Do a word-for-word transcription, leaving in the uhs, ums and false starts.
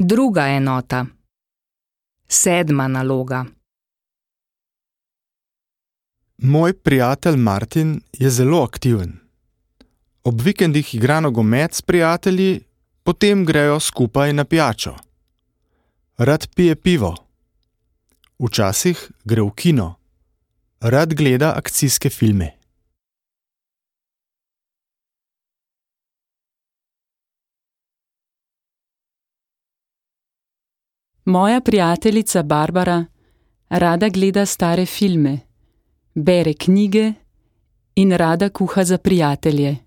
Druga enota. Sedma naloga. Moj prijatelj Martin je zelo aktiven. Ob vikendih igra nogomet s prijatelji, potem grejo skupaj na pijačo. Rad pije pivo. Včasih gre v kino. Rad gleda akcijske filme. Moja prijateljica Barbara rada gleda stare filme, bere knjige in rada kuha za prijatelje.